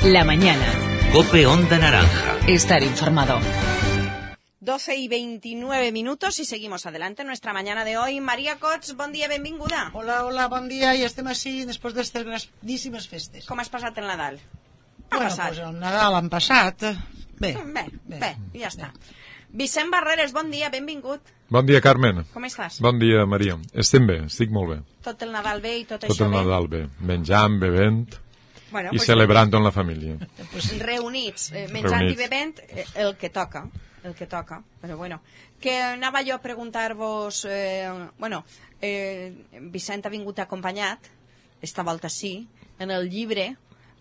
La mañana. COPE Onda Naranja. Estar informado. 12:29 y seguimos adelante en nuestra mañana de hoy. Maria Cots, bon dia, benvinguda. Hola, bon dia, i estem així després d'estes grandíssimes festes. Com has passat el Nadal? Pues el Nadal han passat. Bé, ja està. Vicent Barreres, bon dia, benvingut. Bon dia, Carmen. Com estàs? Bon dia, Maria. Estem bé, estic molt bé. Tot el Nadal bé i tot Tot això el bé? Nadal bé, menjant, bevent Bueno, i celebrant amb la família. Reunits, menjant i bevent, el que toca, però bueno. Que anava jo a preguntar-vos, Vicent ha vingut acompanyat, esta volta sí, en el llibre,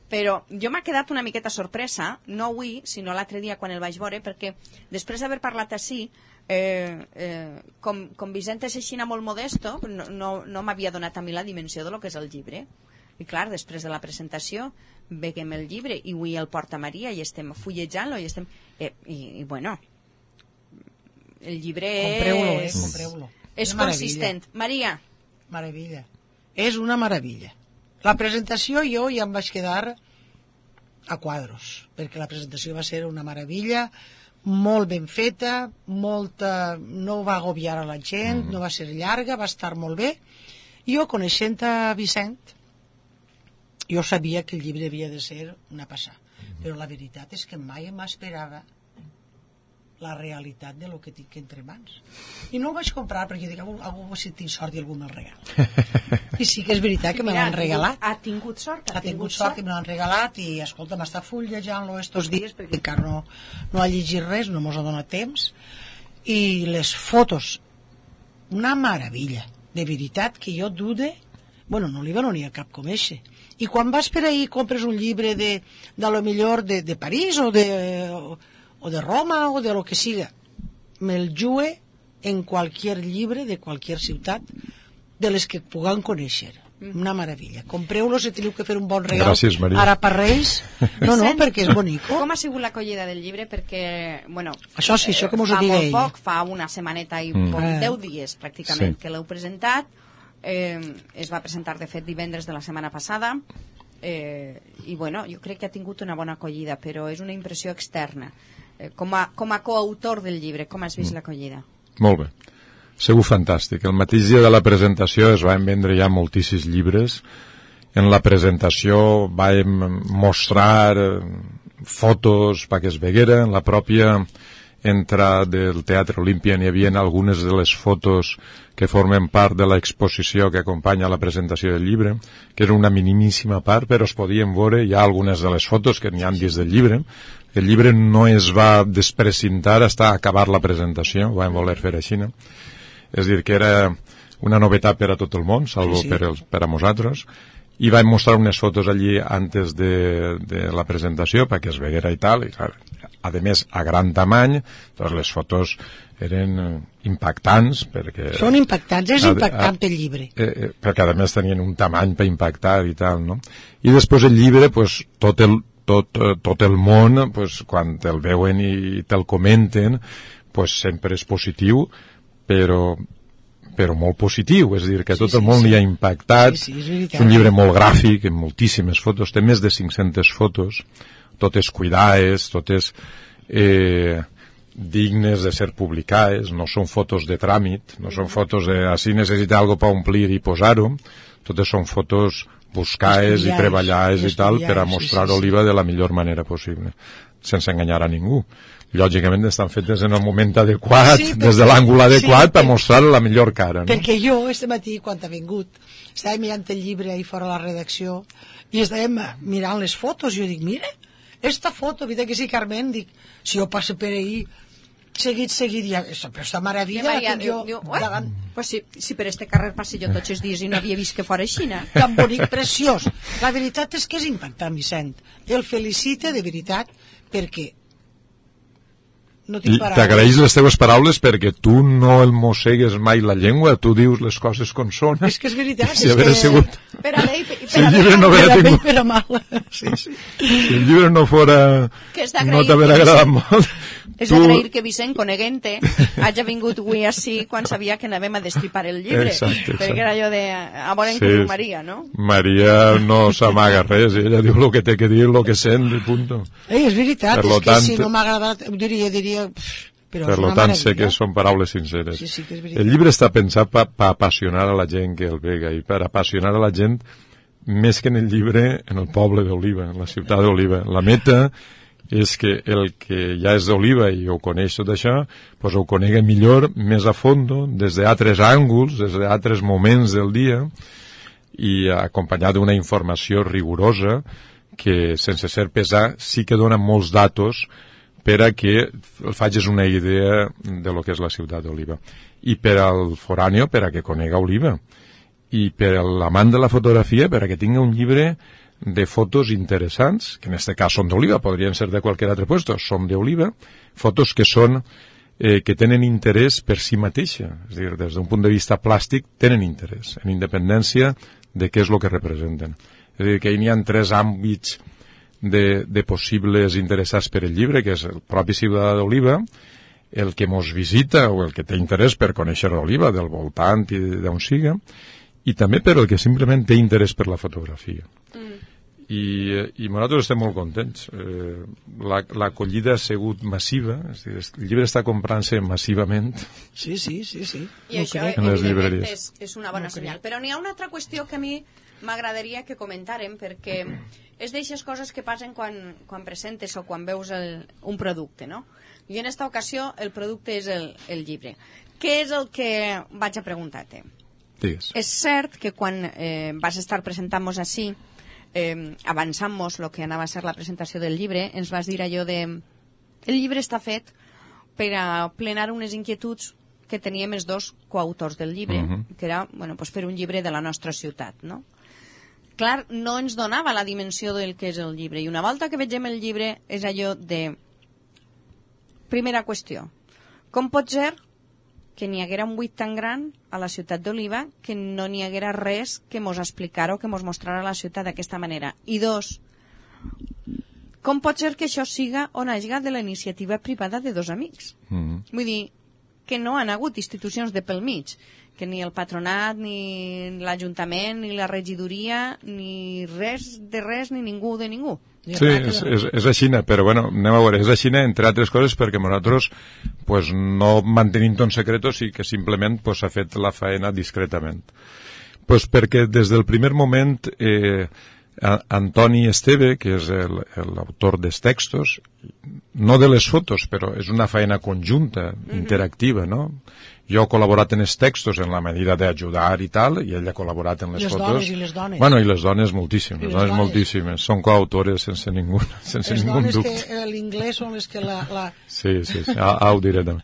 però jo m'ha quedat una miqueta sorpresa, no avui, sinó l'altre dia quan el vaig veure, perquè després d'haver parlat així, com Vicent és així molt modesto, no m'havia donat a mi la dimensió de lo que és el llibre. I clar, després de la presentació veiem el llibre i avui el porta Maria i estem fullejant-lo i estem... I bueno, el llibre compreu-lo. És consistent. Maria. Meravella. És una meravella. La presentació jo ja em vaig quedar a quadros, perquè la presentació va ser una meravella, molt ben feta, no va agobiar a la gent, no va ser llarga, va estar molt bé. Jo, coneixent a Vicent, jo sabia que el llibre havia de ser una passada, però la veritat és que mai m'esperava la realitat de lo que tinc entre mans. I no ho vaig comprar perquè dic, algú si tinc sort i algú me'l regala. I sí que és veritat que me l'han regalat. Ha tingut sort. Ha tingut sort que me l'han regalat i, escolta, m'està fullejant-lo estos dies perquè encara no ha llegit res, no mos ha donat temps. I les fotos, una meravella. De veritat que jo dude, bueno, no li va venir a cap com eixe. I quan vas per ahí i compres un llibre de lo millor de París o de Roma o de lo que siga, me'l jue en qualsevol llibre de qualsevol ciutat de les que puguem conèixer. Una meravella. Compreu-lo si teniu que fer un bon regal. Gràcies, Maria. Ara per Reis. No, perquè és bonico. Com ha sigut l'acollida del llibre? Perquè, bueno... Això sí, això que mos ho digui ell. Fa molt poc, fa una setmaneta i 10 dies, pràcticament, que l'heu presentat. Es va presentar, de fet, divendres de la setmana passada. I, bueno, jo crec que ha tingut una bona acollida, però és una impressió externa. Com a coautor del llibre, com has vist l'acollida? Molt bé. Segur fantàstic. El mateix dia de la presentació es van vendre ja moltíssims llibres. En la presentació vam mostrar fotos perquè es veguera. En la pròpia entrada del Teatre Olímpia n'hi havia algunes de les fotos que formen part de l'exposició que acompanya la presentació del llibre, que era una minimíssima part, però es podien veure ja algunes de les fotos que n'hi ha dins del llibre. El llibre no es va desprecintar fins a acabar la presentació, ho vam voler fer així, no? És dir, que era una novetat per a tot el món, salvo per a nosaltres, i vam mostrar unes fotos allí antes de la presentació perquè es veguera i tal, i clar, a més a gran tamany, doncs les fotos eren impactants perquè... Són impactants, és impactant el llibre. Perquè a més tenien un tamany per impactar i tal, no? I després el llibre, pues, tot el món, pues, quan te'l veuen i te'l comenten, pues, sempre és positiu, però molt positiu, és a dir, que tot el món li ha impactat. És un llibre molt gràfic, amb moltíssimes fotos, té més de 500 fotos, totes cuidades, totes dignes de ser publicades, no són fotos de tràmit, no són fotos de si necessita algo per omplir i posar-ho, totes són fotos buscades i treballades i tal per a mostrar Oliva de la millor manera possible, sense enganyar a ningú. Lògicament estan fetes en el moment adequat, des de l'àngul adequat, per mostrar la millor cara. Perquè jo, este matí, quan ha vingut, estàvem mirant el llibre ahí fora a la redacció i estàvem mirant les fotos i jo dic, mira, esta foto, vida que sí, Carmen, dic, si jo passo per ahí seguit, ja, però esta meravella la tinc jo davant. Pues si per este carrer passi jo tots els dies i no havia vist que fora així, tan bonic, preciós. La veritat és que és impactant, Vicent. El felicite de veritat perquè no i t'agraeix les teves paraules perquè tu no el mossegues mai la llengua, tu dius les coses com són. És que és veritat. Si hagués sigut... Per a bé, si el llibre no haguera tingut... Per a mal. Si el llibre no fora... No t'haguera agradat molt. És d'agrair que Vicent, coneguent-te, hagi vingut avui així quan sabia que anàvem a destripar el llibre. Exacte. Perquè era allò de... A veure què diu Maria, no? Maria no s'amaga res, ella diu el que té que dir, el que sent, i punto. És veritat, és que si no m'ha agradat, diria... Per tant, sé que són paraules sinceres. Sí, que és el llibre està pensat per apassionar a la gent que el vega, i per apassionar a la gent més que en el llibre, en el poble d'Oliva, en la ciutat d'Oliva. La meta és que el que ja és d'Oliva i ho coneix tot això, pues ho conegui millor, més a fondo, des d'altres ànguls, des d'altres moments del dia, i acompanyat d'una informació rigorosa que, sense ser pesar, sí que dona molts datos per a que el facis una idea de lo que és la ciutat d'Oliva. I per al foráneo, per a que conega Oliva. I per a l'amant de la fotografia, per a que tingui un llibre de fotos interessants, que en aquest cas són d'Oliva, podrien ser de qualsevol altre puesto, són d'Oliva, fotos que són que tenen interès per si mateixa, és a dir, des d'un punt de vista plàstic tenen interès, en independència de què és el que representen. És a dir, que hi ha 3 àmbits de possibles interessats per el llibre, que és el propi ciutadà d'Oliva, el que mos visita o el que té interès per conèixer Oliva, del voltant i d'on siga, i també per el que simplement té interès per la fotografia. I nosaltres estem molt contents. L'acollida ha sigut massiva, és dir, el llibre està comprant-se massivament. Sí. I això, evidentment, és una bona senyal. Però n'hi ha una altra qüestió que a mi m'agradaria que comentàrem, perquè és d'aixes coses que passen quan presentes o quan veus un producte, no? I en aquesta ocasió el producte és el llibre. Què és el que vaig a preguntar-te? Digues. És cert que quan vas estar presentant-nos així, avançant-nos el que anava a ser la presentació del llibre, ens vas dir allò de... El llibre està fet per a plenar unes inquietuds que teníem els 2 coautors del llibre, que era pues fer un llibre de la nostra ciutat, no? Clar, no ens donava la dimensió del que és el llibre, i una volta que vegem el llibre és allò de... Primera qüestió, com pot ser que n'hi haguera un buit tan gran a la ciutat d'Oliva que no n'hi haguera res que mos explicara o que mos mostrara la ciutat d'aquesta manera? I 2, com pot ser que això siga o naixga de la iniciativa privada de 2 amics? Vull dir, que no han hagut institucions de pel mig, que ni el patronat, ni l'Ajuntament, ni la regidoria, ni res, ni ningú de ningú. Sí, és així, però bueno, anem a veure, és així entre altres coses perquè nosaltres pues, no mantenim un secret, i que simplement s'ha fet la faena discretament. Pues perquè des del primer moment Antoni Esteve, que és l'autor dels textos, no de les fotos, però és una faena conjunta, interactiva, no? Jo he col·laborat en els textos en la medida d'ajudar i tal, i ell ha col·laborat en les fotos. I les dones. Bueno, i les dones moltíssimes, les dones moltíssimes. Són coautores sense ningú dubte. Les dones que l'inglès són les que la... Sí, ho diré també.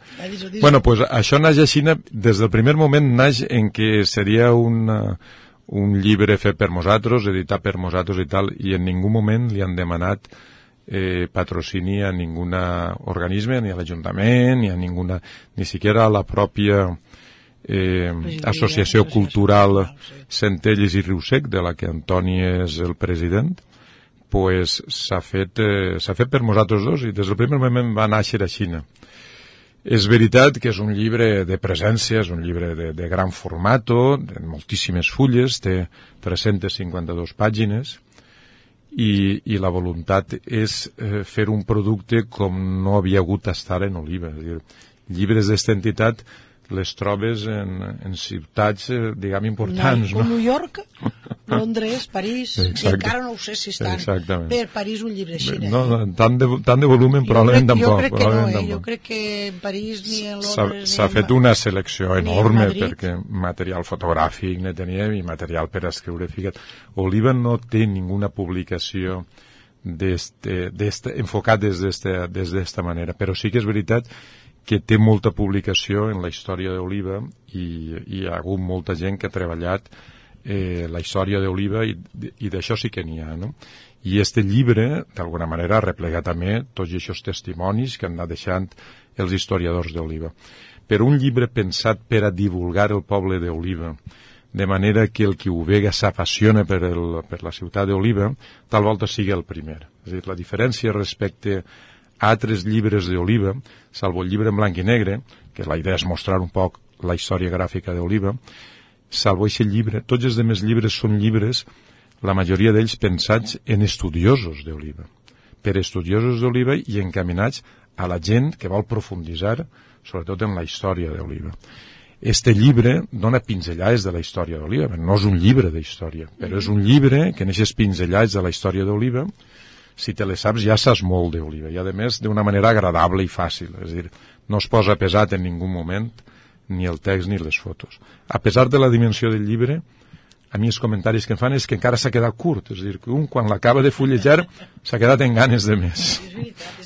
Bueno, pues això naix així, des del primer moment naix en què seria un llibre fet per nosaltres, editat per nosaltres i tal, i en ningú moment li han demanat patrocini a ningún organisme, ni a l'Ajuntament, ni a ninguna, ni siquiera a la pròpia Associació Cultural Centelles i Riusec, de la que Antoni és el president, pues s'ha fet per nosaltres 2, i des del primer moment va nàixer a Xina. És veritat que és un llibre de presència, és un llibre de gran formato, de moltíssimes fulles, té 352 pàgines, i la voluntat és fer un producte com no havia hagut estar en Oliva. És a dir, llibres d'esta entitat les trobes en ciutats, diguem, importants. Com New York, Londres, París, i encara no ho sé si estan per París un llibre així. No, tant de volumen probablement tampoc. Jo crec que no, jo crec que en París ni en Londres... S'ha fet una selecció enorme perquè material fotogràfic ne teníem i material per escriure. Fica't, Oliva no té ninguna publicació enfocat des d'esta manera, però sí que és veritat que té molta publicació en la història d'Oliva i hi ha hagut molta gent que ha treballat la història d'Oliva i d'això sí que n'hi ha, no? I este llibre, d'alguna manera, replega també tots aquests testimonis que han anat deixant els historiadors d'Oliva. Però un llibre pensat per a divulgar el poble d'Oliva, de manera que el qui ho vega s'apassiona per la ciutat d'Oliva, tal volta sigui el primer. És a dir, la diferència respecte altres llibres d'Oliva, salvo el llibre en blanc i negre, que la idea és mostrar un poc la història gràfica d'Oliva, salvo aquest llibre, tots els demés llibres són llibres, la majoria d'ells pensats en estudiosos d'Oliva, per estudiosos d'Oliva i encaminats a la gent que vol profunditzar, sobretot en la història d'Oliva. Este llibre dona pinzellades de la història d'Oliva, no és un llibre d'història, però és un llibre que en aquestes pinzellades de la història d'Oliva, si te les saps ja saps molt d'Oliva, i a més d'una manera agradable i fàcil, és a dir, no es posa pesat en ningú moment, ni el text ni les fotos. A pesar de la dimensió del llibre, a mi els comentaris que em fan és que encara s'ha quedat curt, és a dir, que un quan l'acaba de fullejar s'ha quedat en ganes de més.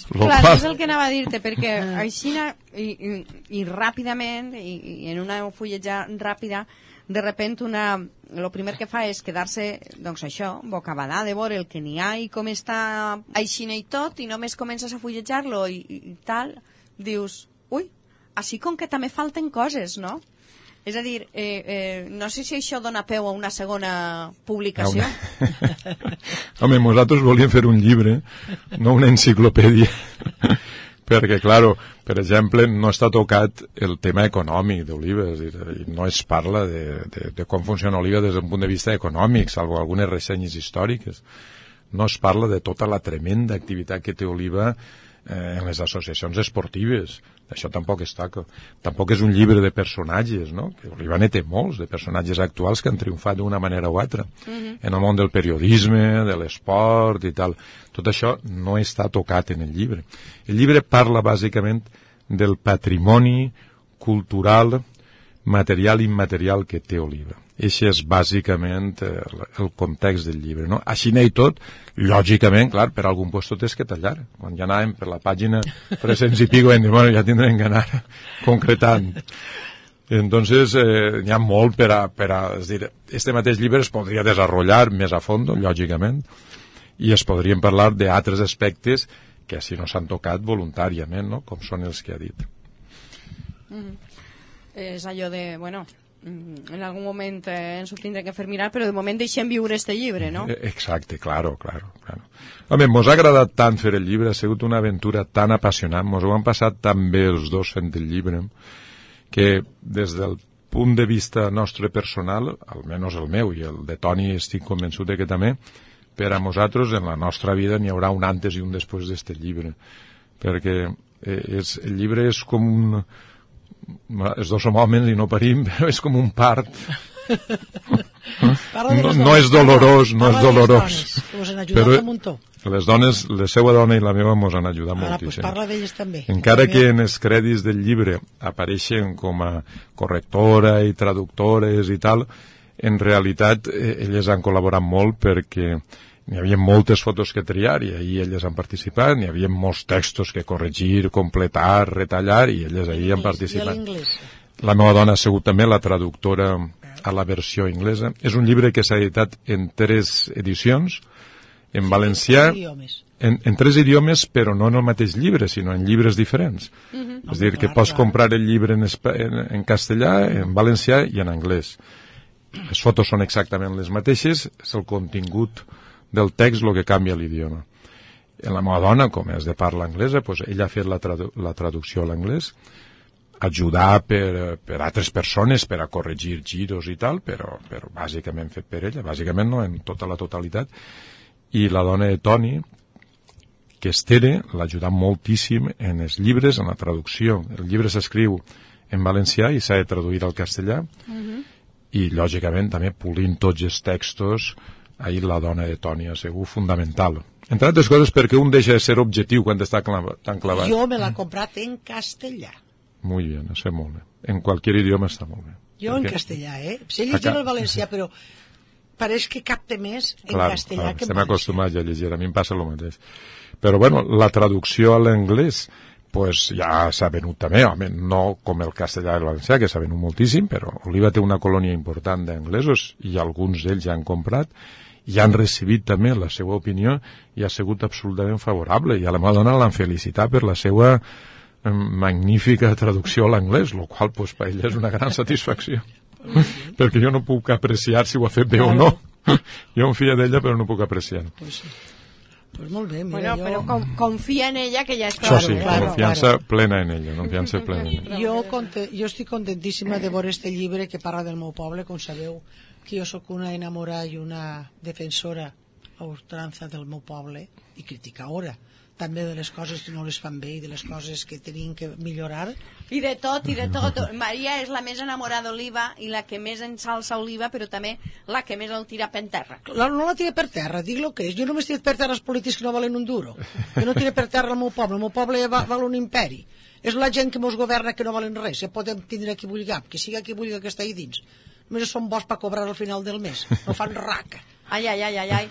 Clar, és el que anava a dir-te, perquè així i ràpidament, i en una fulleja ràpida, de repente el primer que fa és quedar-se, doncs això, bocabadà de veure el que n'hi ha i com està així i tot, i només comences a fullejar-lo i tal, dius, ui, així com que també falten coses, no? És a dir, no sé si això dona peu a una segona publicació. Home, nosaltres volíem fer un llibre, no una enciclopèdia, perquè, claro, per exemple, no està tocat el tema econòmic d'Oliva, és a dir, no es parla de com funciona Oliva des d'un punt de vista econòmic, salvo algunes ressenyes històriques. No es parla de tota la tremenda activitat que té Oliva en les associacions esportives. Això tampoc es toca. Tampoc és un llibre de personatges, no? Que Oliva ne té molts, de personatges actuals que han triomfat d'una manera o altra. En el món del periodisme, de l'esport i tal. Tot això no està tocat en el llibre. El llibre parla bàsicament del patrimoni cultural, material i immaterial que té Oliva. Això és bàsicament el context del llibre, no? Així n'hi tot, lògicament, clar, per algun lloc tot és que tallar. Quan ja anàvem per la pàgina 300 i pico, vam dir, bueno, ja tindrem que anar concretant. Entonces, n'hi ha molt per a... És dir, este mateix llibre es podria desenvolupar més a fons, lògicament, i es podrien parlar d'altres aspectes que així no s'han tocat voluntàriament, no? Com són els que ha dit. És allò de, bueno... en algun moment ens ho tindrem que fer mirar, però de moment deixem viure este llibre, no? Exacte, claro. Home, mos ha agradat tant fer el llibre, ha sigut una aventura tan apassionant, mos ho han passat tan bé els dos fent el llibre, que des del punt de vista nostre personal, almenys el meu i el de Toni estic convençut que també, per a nosaltres en la nostra vida n'hi haurà un antes i un després d'este llibre, perquè el llibre és com un... els dos som homes i no parim, però és com un part. No és dolorós, no és dolorós. Però les dones, la seva dona i la meva mos han ajudat moltíssim. Parla d'elles també. Encara que en els crèdits del llibre apareixen com a correctora i traductores i tal, en realitat elles han col·laborat molt perquè n'hi havia moltes fotos que triar i ahir elles han participat, n'hi havia molts textos que corregir, completar, retallar i elles ahir han participat. La meva dona ha sigut també la traductora a la versió inglesa. És un llibre que s'ha editat en 3 edicions, en valencià, en 3 idiomes, però no en el mateix llibre, sinó en llibres diferents. És a dir, que pots comprar el llibre en castellà, en valencià i en anglès. Les fotos són exactament les mateixes, és el contingut del text el que canvia l'idioma. La meva dona, com és de parla anglesa, doncs ella ha fet la traducció a l'anglès, ajudar per altres persones per a corregir giros i tal, però bàsicament fet per ella, bàsicament no en tota la totalitat, i la dona de Toni, que és Tere, l'ha ajudat moltíssim en els llibres, en la traducció. El llibre s'escriu en valencià i s'ha de traduir al castellà, i lògicament també polint tots els textos. Ahir la dona de Toni ha sigut fundamental. Entre altres coses perquè un deixa de ser objectiu quan està tan clavat. Jo me l'he comprat en castellà. Muy bien, això molt bé. En qualsevol idioma està molt bé. Jo en castellà, Sé llegir el valencià, però pareix que capte més en castellà que en valencià. Estem acostumats a llegir, a mi em passa el mateix. Però bueno, la traducció a l'anglès pues ja s'ha venut també, home, no com el castellà i el valencià, que s'ha venut moltíssim, però Oliva té una colònia important d'anglesos i alguns d'ells ja han comprat i han recibit també la seva opinió i ha sigut absolutament favorable, i a la meva dona l'han felicitat per la seva magnífica traducció a l'anglès, el qual pues, per ella és una gran satisfacció perquè jo no puc apreciar si ho ha fet bé o no. Jo em fio d'ella però no puc apreciar. Pues molt bé, Bueno, mira, però confia en ella, que ja és Això clar. sí, confiança plena en ella, confiança plena en ella. Jo estic contentíssima de veure este llibre que parla del meu poble. Com sabeu, que jo sóc una enamorada i una defensora a ultrança del meu poble i criticadora també de les coses que no les fan bé i de les coses que tenien que millorar. I de tot, i de tot. Maria és la més enamorada d'Oliva i la que més ensalça Oliva, però també la que més el tira per terra. No la tira per terra, dic el que és. Jo només tiro per terra els polítics que no valen un duro. Jo no tiro per terra el meu poble val un imperi. És la gent que mos governa que no valen res. Ja podem tindre qui vulguem, que siga qui vulgui que està ahí dins. Només són bons per cobrar al final del mes. No fan raca. Ai.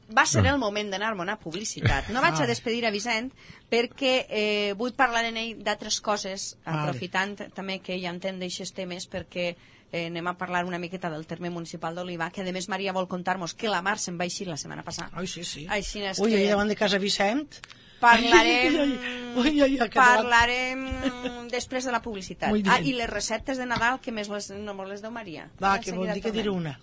Va ser el moment d'anar-me a una publicitat. No vaig a despedir a Vicent perquè vull parlar en ell d'altres coses, aprofitant també que ell entén d'aixes temes, perquè anem a parlar una miqueta del terme municipal d'Oliva, que a més Maria vol contar-nos que la Mar se'n va eixir la setmana passada. Ai, sí. Així és Ui, que davant de casa Vicent... Parlarem després de la publicitat. I les receptes de Nadal, que més no les deu Maria. Va, que vol dir que diré una.